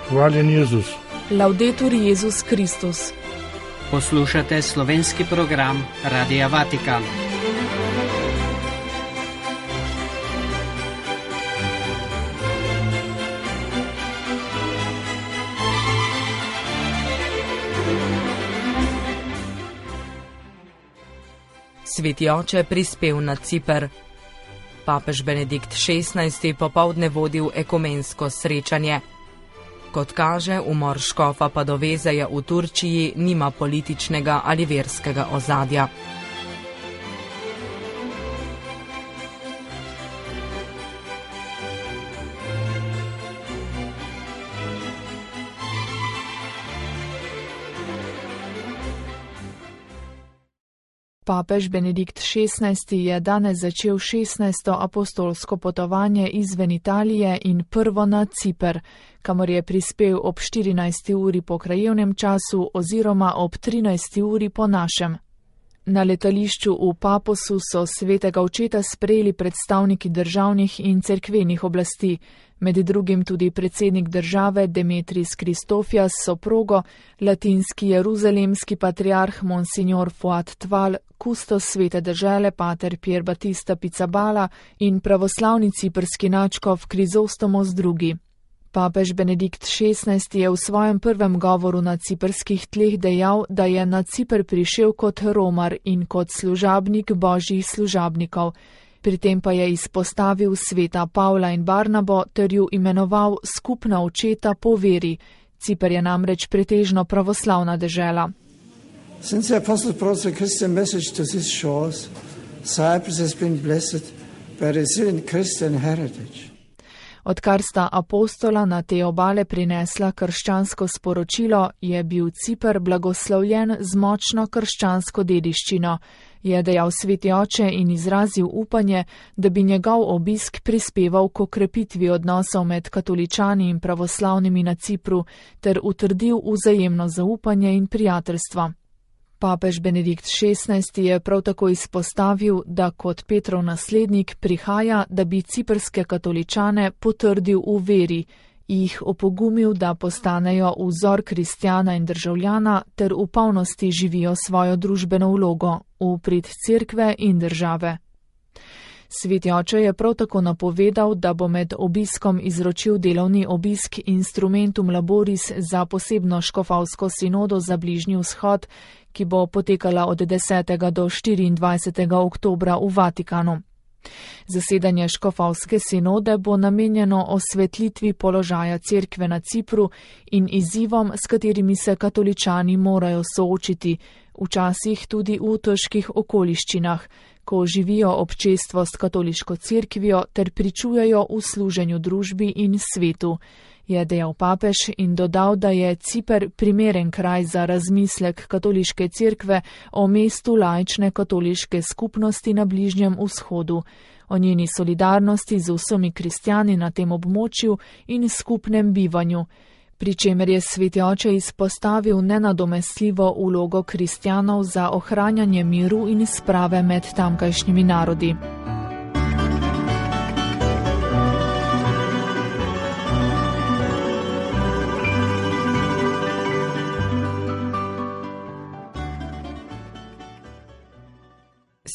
Hvaljen Jezus. Laudetur Jezus Kristus. Poslušate slovenski program Radia Vatikan. Sveti oče prispel na Ciper. Papež Benedikt XVI. Popoldne vodil ekumensko srečanje. Kot kaže, umor škofa Padovezeja v Turčiji nima političnega ali verskega ozadja. Papež Benedikt XVI. Je danes začel 16. apostolsko potovanje izven Italije in prvo na Ciper, kamor je prispel ob 14. uri po krajevnem času oziroma ob 13. uri po našem. Na letališču v Paposu so svetega očeta sprejeli predstavniki državnih in cerkvenih oblasti, med drugim tudi predsednik države Demetris Kristofijas s soprogo, latinski jeruzalemski patriarh Monsignor Fuad Tval, kustos svete dežele pater Pier Battista Pizzaballa in pravoslavni ciprski nadškof Krizostomos II. Papež Benedikt XVI. Je v svojem prvem govoru na ciprskih tleh dejal, da je na Ciper prišel kot romar in kot služabnik božjih služabnikov. Pri tem pa je izpostavil sveta Pavla in Barnabo ter ju imenoval skupna očeta po veri. Ciper je namreč pretežno pravoslavna dežela. Since the Apostle brought the Christian message to these shores, Cyprus has been blessed by resilient Christian heritage. Odkar sta apostola na te obale prinesla krščansko sporočilo, je bil Ciper blagoslovljen z močno krščansko dediščino, je dejal sveti oče in izrazil upanje, da bi njegov obisk prispeval k okrepitvi odnosov med katoličani in pravoslavnimi na Cipru ter utrdil vzajemno zaupanje in prijateljstvo. Papež Benedikt XVI. Je prav tako izpostavil, da kot Petrov naslednik prihaja, da bi ciprske katoličane potrdil v veri, jih opogumil, da postanejo vzor kristjana in državljana ter v polnosti živijo svojo družbeno vlogo v prid cerkve in države. Sveti oče je prav tako napovedal, da bo med obiskom izročil delovni obisk Instrumentum Laboris za posebno škofovsko sinodo za Bližnji vzhod, ki bo potekala od 10. do 24. oktobra v Vatikanu. Zasedanje škofovske sinode bo namenjeno osvetlitvi položaja cerkve na Cipru in izzivom, s katerimi se katoličani morajo soočiti, včasih tudi v težkih okoliščinah, ko živijo občestvo s katoliško cerkvijo ter pričujejo v služenju družbi in svetu, je dejal papež in dodal, da je Ciper primeren kraj za razmislek katoliške cerkve o mestu laične katoliške skupnosti na Bližnjem vzhodu, o njeni solidarnosti z vsemi kristjani na tem območju in skupnem bivanju, pri čemer je sveti oče izpostavil nenadomestljivo vlogo kristjanov za ohranjanje miru in sprave med tamkajšnjimi narodi.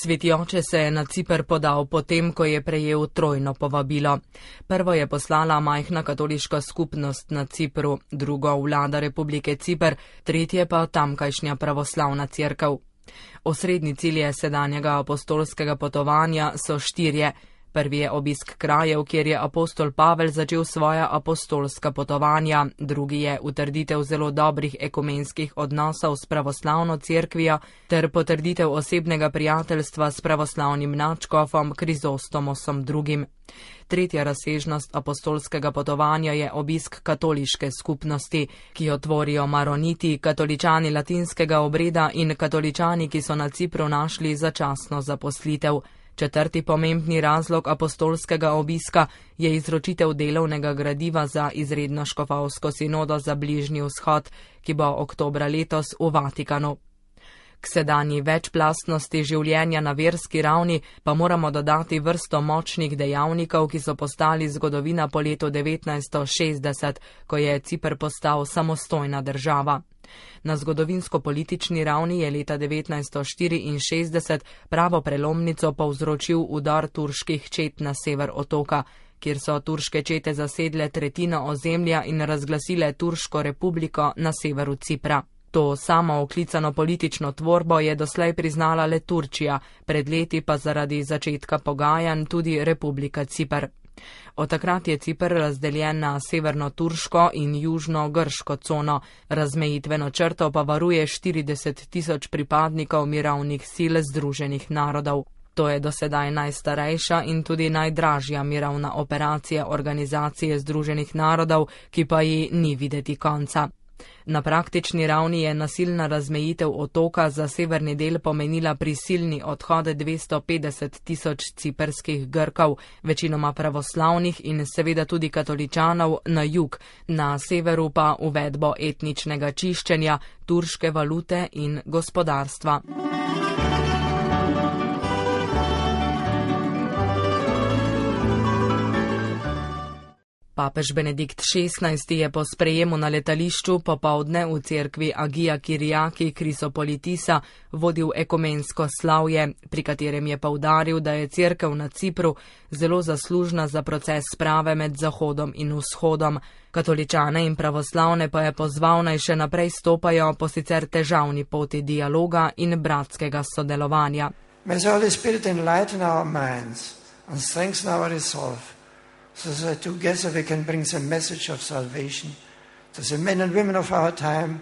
Sveti oče se je na Ciper podal potem, ko je prejel trojno povabilo. Prvo je poslala majhna katoliška skupnost na Cipru, drugo vlada Republike Ciper, tretje pa tamkajšnja pravoslavna cerkev. Osrednji cilj sedanjega apostolskega potovanja so štirje. Prvi je obisk krajev, kjer je apostol Pavel začel svoja apostolska potovanja, drugi je utrditev zelo dobrih ekumenskih odnosov s pravoslavno cerkvijo ter potrditev osebnega prijateljstva s pravoslavnim nadškofom Krizostomosom II. Tretja razsežnost apostolskega potovanja je obisk katoliške skupnosti, ki jo tvorijo maroniti, katoličani latinskega obreda in katoličani, ki so na Cipru našli začasno zaposlitev. Četrti pomembni razlog apostolskega obiska je izročitev delovnega gradiva za izredno škofovsko sinodo za Bližnji vzhod, ki bo oktobra letos v Vatikanu. K sedanji večplastnosti življenja na verski ravni pa moramo dodati vrsto močnih dejavnikov, ki so postali zgodovina po letu 1960, ko je Ciper postal samostojna država. Na zgodovinsko-politični ravni je leta 1964 pravo prelomnico povzročil udor turških čet na sever otoka, kjer so turške čete zasedle tretjino ozemlja in razglasile Turško republiko na severu Cipra. To samo oklicano politično tvorbo je doslej priznala le Turčija, pred leti pa zaradi začetka pogajanj tudi Republika Ciper. Od takrat je Ciper razdeljen na severno-turško in južno-grško cono, razmejitveno črto pa varuje 40.000 pripadnikov mirovnih sil Združenih narodov. To je dosedaj najstarejša in tudi najdražja mirovna operacija Organizacije Združenih narodov, ki pa ji ni videti konca. Na praktični ravni je nasilna razmejitev otoka za severni del pomenila prisilni odhod 250.000 ciperskih Grkov, večinoma pravoslavnih in seveda tudi katoličanov, na jug, na severu pa uvedbo etničnega čiščenja, turške valute in gospodarstva. Papež Benedikt XVI je po sprejemu na letališču popoldne v cerkvi Agija Kyriaki Krisopolitisa vodil ekumensko slavje, pri katerem je poudaril, da je cerkev na Cipru zelo zaslužna za proces sprave med Zahodom in Vzhodom. Katoličane in pravoslavne pa je pozval, naj še naprej stopajo po sicer težavni poti dialoga in bratskega sodelovanja. May the Holy Spirit enlighten our minds and strengthen our resolve, so that together we can bring the message of salvation to the men and women of our time.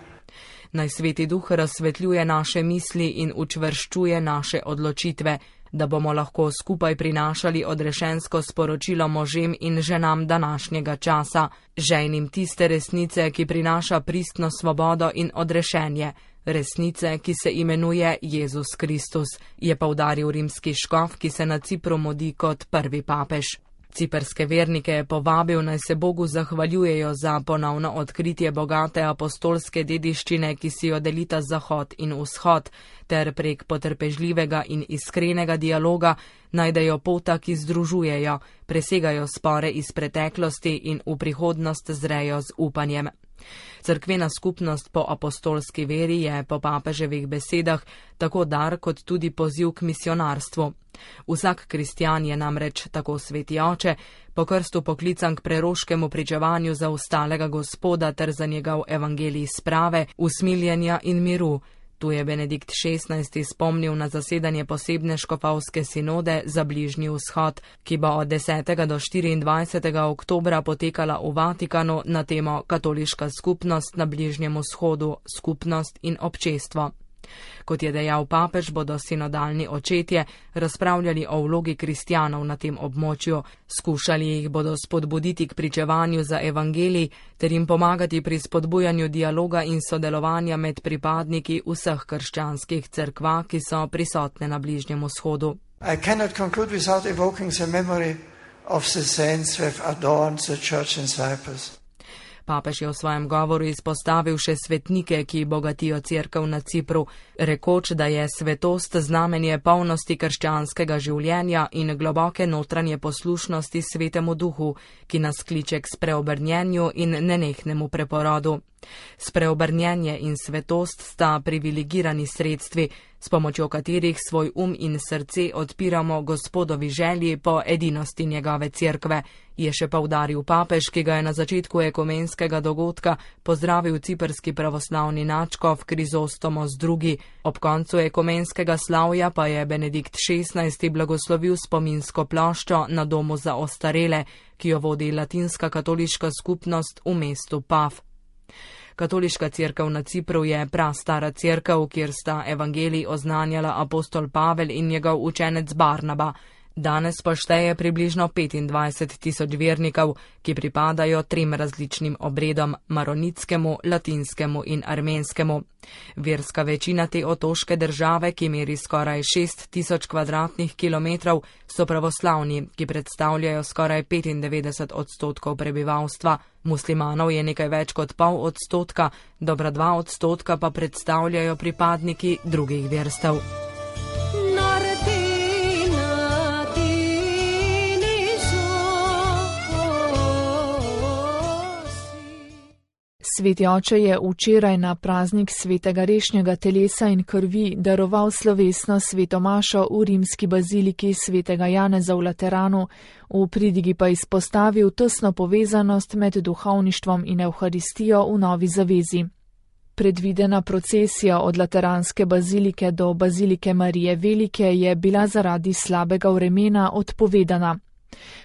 Naj Sveti Duh razsvetljuje naše misli in učvrščuje naše odločitve, da bomo lahko skupaj prinašali odrešensko sporočilo možem in ženam današnjega časa, žejnim tiste resnice, ki prinaša pristno svobodo in odrešenje, resnice, ki se imenuje Jezus Kristus, je poudaril rimski škof, ki se na Cipru modi kot prvi papež. Ciperske vernike je povabil, naj se Bogu zahvaljujejo za ponovno odkritje bogate apostolske dediščine, ki si jo delita Zahod in Vzhod, ter prek potrpežljivega in iskrenega dialoga najdejo pota, ki združujejo, presegajo spore iz preteklosti in v prihodnost zrejo z upanjem. Cerkvena skupnost po apostolski veri je po papeževih besedah tako dar kot tudi poziv k misionarstvu. Vsak kristjan je namreč, tako Sveti Oče, po krstu poklican k preroškemu pričevanju za ostalega Gospoda ter za njegov evangelij sprave, usmiljenja in miru. Tu je Benedikt XVI spomnil na zasedanje posebne škofovske sinode za Bližnji vzhod, ki bo od 10. do 24. oktobra potekala v Vatikanu na temo Katoliška skupnost na Bližnjem vzhodu, skupnost in občestvo. Kot je dejal papež, bodo sinodalni očetje razpravljali o vlogi kristjanov na tem območju, skušali jih bodo spodbuditi k pričevanju za evangelij ter jim pomagati pri spodbujanju dialoga in sodelovanja med pripadniki vseh krščanskih cerkva, ki so prisotne na Bližnjem vzhodu. I cannot conclude without evoking the memory of the saints who have adorned the church in Cyprus. Papež je v svojem govoru izpostavil še svetnike, ki bogatijo cerkev na Cipru, rekoč, da je svetost znamenje polnosti krščanskega življenja in globoke notranje poslušnosti Svetemu Duhu, ki nas kliče k spreobrnjenju in nenehnemu preporodu. Spreobrnjenje in svetost sta privilegirani sredstvi, s pomočjo katerih svoj in srce odpiramo Gospodovi želji po edinosti njegove cerkve, je še poudaril papež, ki ga je na začetku ekumenskega dogodka pozdravil ciprski pravoslavni nadškof Krizostomos II. Ob koncu ekumenskega slavja pa je Benedikt XVI blagoslovil spominsko ploščo na domu za ostarele, ki jo vodi latinska katoliška skupnost v mestu Paf. Katoliška cerkev na Cipru je prastara cerkev, kjer sta evangelij oznanjala apostol Pavel in njegov učenec Barnaba. Danes pa šteje približno 25 tisoč vernikov, ki pripadajo 3 različnim obredom: maronitskemu, latinskemu in armenskemu. Verska večina te otoške države, ki meri skoraj 6 tisoč kvadratnih kilometrov, so pravoslavni, ki predstavljajo skoraj 95% prebivalstva. Muslimanov je nekaj več kot 0,5%, dobra 2% pa predstavljajo pripadniki drugih verstev. Sveti oče je včeraj na praznik svetega rešnjega telesa in krvi daroval slovesno sveto mašo v rimski baziliki svetega Janeza v Lateranu, v pridigi pa izpostavil tesno povezanost med duhovništvom in evharistijo v novi zavezi. Predvidena procesija od Lateranske bazilike do bazilike Marije Velike je bila zaradi slabega vremena odpovedana.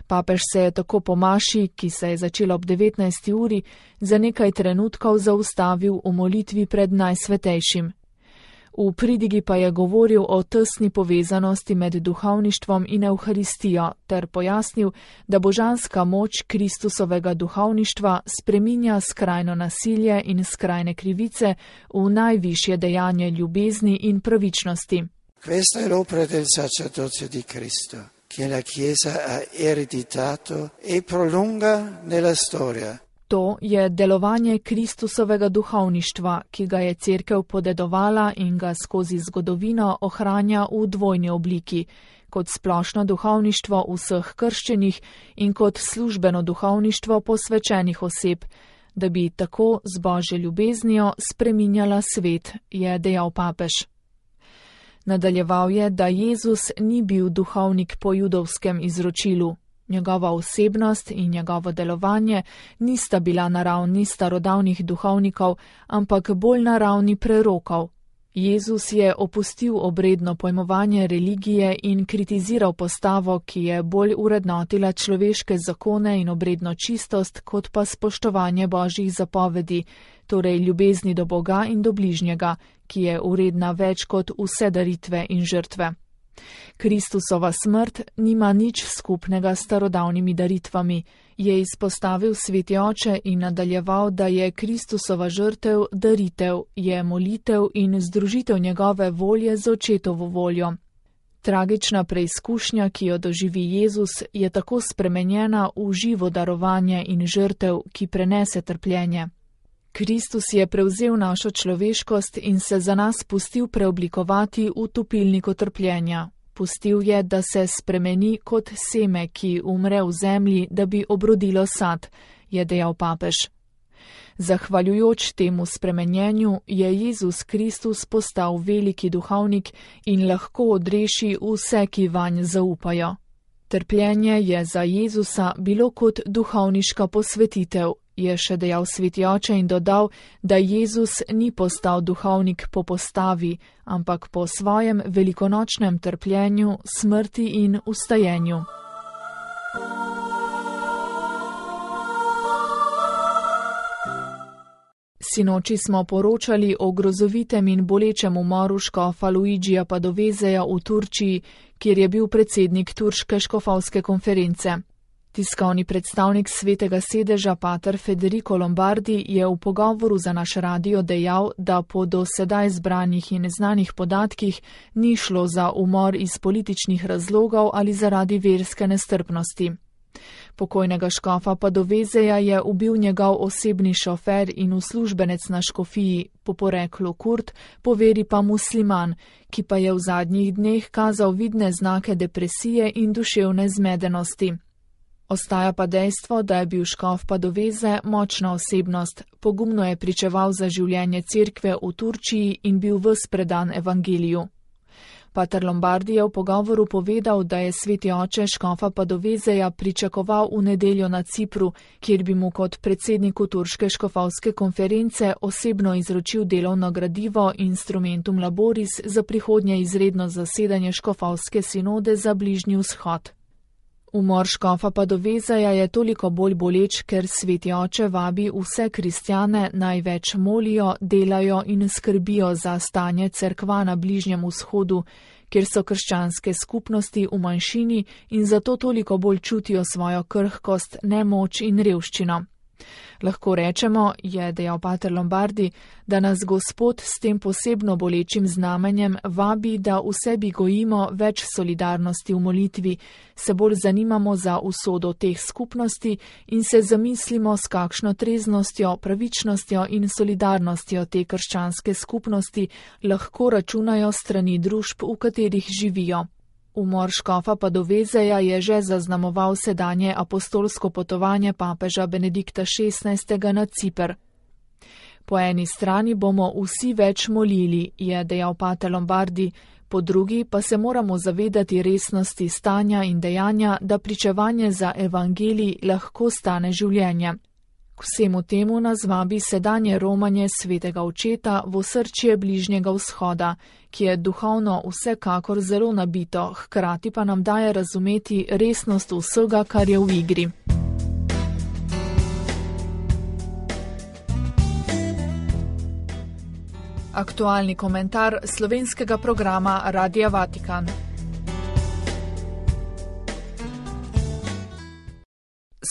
Papež se je tako po maši, ki se je začela ob 19. uri, za nekaj trenutkov zaustavil v molitvi pred Najsvetejšim. V pridigi pa je govoril o tesni povezanosti med duhovništvom in evharistijo ter pojasnil, da božanska moč Kristusovega duhovništva spreminja skrajno nasilje in skrajne krivice v najvišje dejanje ljubezni in pravičnosti. Questa è l'opera del sacerdozio di Cristo, che la Chiesa ha ereditato e prolunga nella storia. To je delovanje Kristusovega duhovništva, ki ga je Cerkev podedovala in ga skozi zgodovino ohranja v dvojni obliki, kot splošno duhovništvo vseh krščenih in kot službeno duhovništvo posvečenih oseb, da bi tako z Božjo ljubeznijo spreminjala svet, je dejal papež. Nadaljeval je, da Jezus ni bil duhovnik po judovskem izročilu. Njegova osebnost in njegovo delovanje nista bila na ravni starodavnih duhovnikov, ampak bolj na ravni prerokov. Jezus je opustil obredno pojmovanje religije in kritiziral postavo, ki je bolj urednotila človeške zakone in obredno čistost, kot pa spoštovanje Božjih zapovedi, torej ljubezni do Boga in do bližnjega, ki je uredna več kot vse daritve in žrtve. Kristusova smrt nima nič skupnega s starodavnimi daritvami, je izpostavil sveti oče in nadaljeval, da je Kristusova žrtev daritev, je molitev in združitev njegove volje z očetovo voljo. Tragična preizkušnja, ki jo doživi Jezus, je tako spremenjena v živo darovanje in žrtev, ki prenese trpljenje. Kristus je prevzel našo človeškost in se za nas pustil preoblikovati v topilniku trpljenja. Pustil je, da se spremeni kot seme, ki umre v zemlji, da bi obrodilo sad, je dejal papež. Zahvaljujoč temu spremenjenju je Jezus Kristus postal veliki duhovnik in lahko odreši vse, ki vanj zaupajo. Trpljenje je za Jezusa bilo kot duhovniška posvetitev, je še dejal sveti oče in dodal, da Jezus ni postal duhovnik po postavi, ampak po svojem velikonočnem trpljenju, smrti in vstajenju. Sinoči smo poročali o grozovitem in bolečem umoru škofa Luigija Padoveseja v Turčiji, kjer je bil predsednik Turške škofovske konference. Tiskovni predstavnik svetega sedeža pater Federico Lombardi je v pogovoru za naš radio dejal, da po do sedaj zbranih in znanih podatkih ni šlo za umor iz političnih razlogov ali zaradi verske nestrpnosti. Pokojnega škofa Padoveseja je ubil njegov osebni šofer in uslužbenec na škofiji, po poreklu Kurt, po veri pa musliman, ki pa je v zadnjih dneh kazal vidne znake depresije in duševne zmedenosti. Ostaja pa dejstvo, da je bil škof Padovese močna osebnost, pogumno je pričeval za življenje cerkve v Turčiji in bil ves predan evangeliju. Pater Lombardi je v pogovoru povedal, da je sveti oče škofa Padoveseja pričakoval v nedeljo na Cipru, kjer bi mu kot predsedniku Turške škofovske konference osebno izročil delovno gradivo Instrumentum Laboris za prihodnje izredno zasedanje škofovske sinode za Bližnji vzhod. Umor škofa Padovezeja je toliko bolj boleč, ker Sveti oče vabi vse kristjane naj več molijo, delajo in skrbijo za stanje cerkva na Bližnjem vzhodu, kjer so krščanske skupnosti v manjšini in zato toliko bolj čutijo svojo krhkost, nemoč in revščino. Lahko rečemo, je dejal pater Lombardi, da nas Gospod s tem posebno bolečim znamenjem vabi, da v sebi gojimo več solidarnosti v molitvi, se bolj zanimamo za usodo teh skupnosti in se zamislimo, s kakšno treznostjo, pravičnostjo in solidarnostjo te krščanske skupnosti lahko računajo strani družb, v katerih živijo. Umor škofa Padovezeja je že zaznamoval sedanje apostolsko potovanje papeža Benedikta XVI. Na Ciper. Po eni strani bomo vsi več molili, je dejal pater Lombardi, po drugi pa se moramo zavedati resnosti stanja in dejanja, da pričevanje za evangelij lahko stane življenje. K vsemu temu nas vabi sedanje romanje svetega očeta v osrčje Bližnjega vzhoda, ki je duhovno vsekakor zelo nabito, hkrati pa nam daje razumeti resnost vsega, kar je v igri. Aktualni komentar slovenskega programa Radia Vatikan.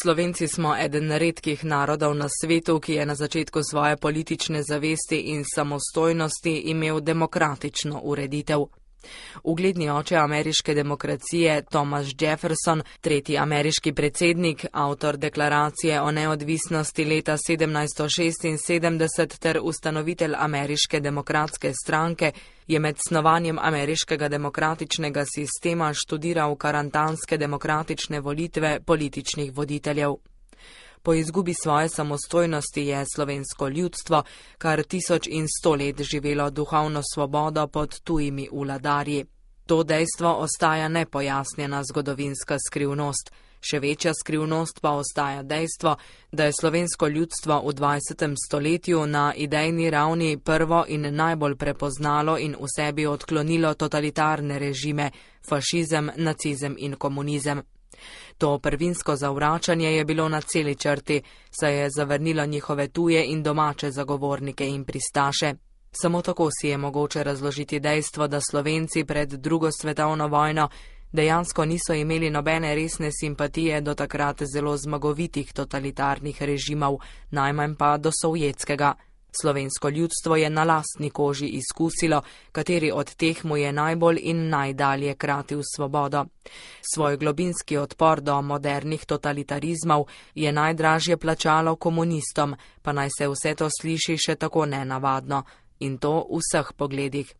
Slovenci smo eden redkih narodov na svetu, ki je na začetku svoje politične zavesti in samostojnosti imel demokratično ureditev. Ugledni oče ameriške demokracije Thomas Jefferson, tretji ameriški predsednik, avtor deklaracije o neodvisnosti leta 1776 ter ustanovitelj ameriške demokratske stranke, je med snovanjem ameriškega demokratičnega sistema študiral karantanske demokratične volitve političnih voditeljev. Po izgubi svoje samostojnosti je slovensko ljudstvo kar 1100 let živelo duhovno svobodo pod tujimi vladarji. To dejstvo ostaja nepojasnjena zgodovinska skrivnost. Še večja skrivnost pa ostaja dejstvo, da je slovensko ljudstvo v 20. stoletju na idejni ravni prvo in najbolj prepoznalo in v sebi odklonilo totalitarne režime, fašizem, nacizem in komunizem. To prvinsko zavračanje je bilo na celi črti, saj je zavrnilo njihove tuje in domače zagovornike in pristaše. Samo tako si je mogoče razložiti dejstvo, da Slovenci pred drugo svetovno vojno dejansko niso imeli nobene resne simpatije do takrat zelo zmagovitih totalitarnih režimov, najmanj pa do sovjetskega. Slovensko ljudstvo je na lastni koži izkusilo, kateri od teh mu je najbolj in najdalje kratil svobodo. Svoj globinski odpor do modernih totalitarizmov je najdražje plačalo komunistom, pa naj se vse to sliši še tako nenavadno. In to v vseh pogledih.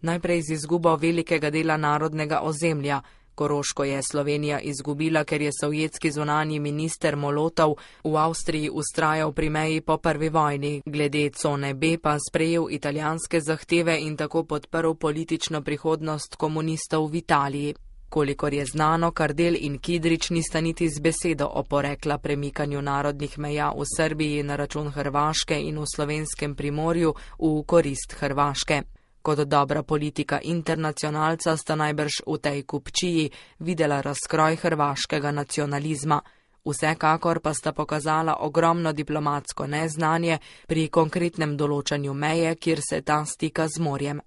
Najprej z izgubo velikega dela narodnega ozemlja. Koroško je Slovenija izgubila, ker je sovjetski zunanji minister Molotov v Avstriji vztrajal pri meji po prvi vojni, glede cone B pa sprejel italijanske zahteve in tako podprl politično prihodnost komunistov v Italiji. Kolikor je znano, Kardelj in Kidrič nista niti z besedo oporekla premikanju narodnih meja v Srbiji na račun Hrvaške in v slovenskem Primorju v korist Hrvaške. Kot dobra politika internacionalca sta najbrž v tej kupčiji videla razkroj hrvaškega nacionalizma. Vsekakor pa sta pokazala ogromno diplomatsko neznanje pri konkretnem določanju meje, kjer se ta stika z morjem.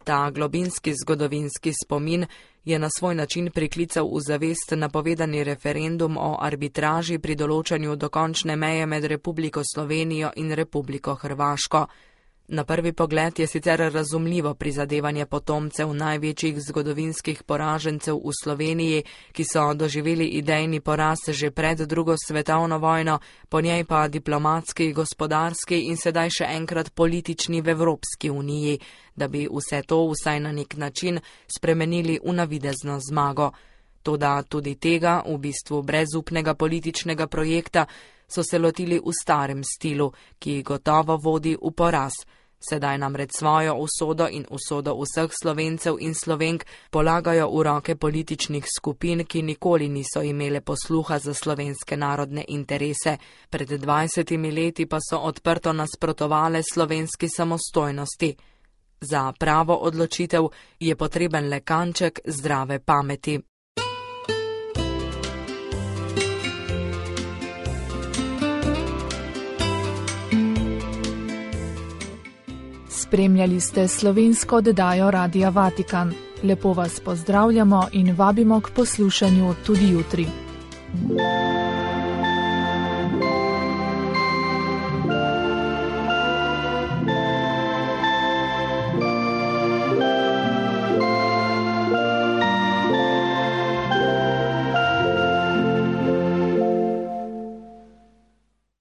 Ta globinski zgodovinski spomin je na svoj način priklical v zavest napovedani referendum o arbitraži pri določanju dokončne meje med Republiko Slovenijo in Republiko Hrvaško. Na prvi pogled je sicer razumljivo prizadevanje potomcev največjih zgodovinskih poražencev v Sloveniji, ki so doživeli idejni poraz že pred drugo svetovno vojno, po njej pa diplomatski, gospodarski in sedaj še enkrat politični v Evropski uniji, da bi vse to vsaj na nek način spremenili v navidezno zmago. Toda tudi tega, v bistvu brezupnega političnega projekta, so se lotili v starem stilu, ki gotovo vodi v poraz. Sedaj namreč svojo usodo in usodo vseh Slovencev in Slovenk polagajo v roke političnih skupin, ki nikoli niso imele posluha za slovenske narodne interese. Pred 20 leti pa so odprto nasprotovale slovenski samostojnosti. Za pravo odločitev je potreben le kanček zdrave pameti. Spremljali ste slovensko oddajo Radia Vatikan. Lepo vas pozdravljamo in vabimo k poslušanju tudi jutri.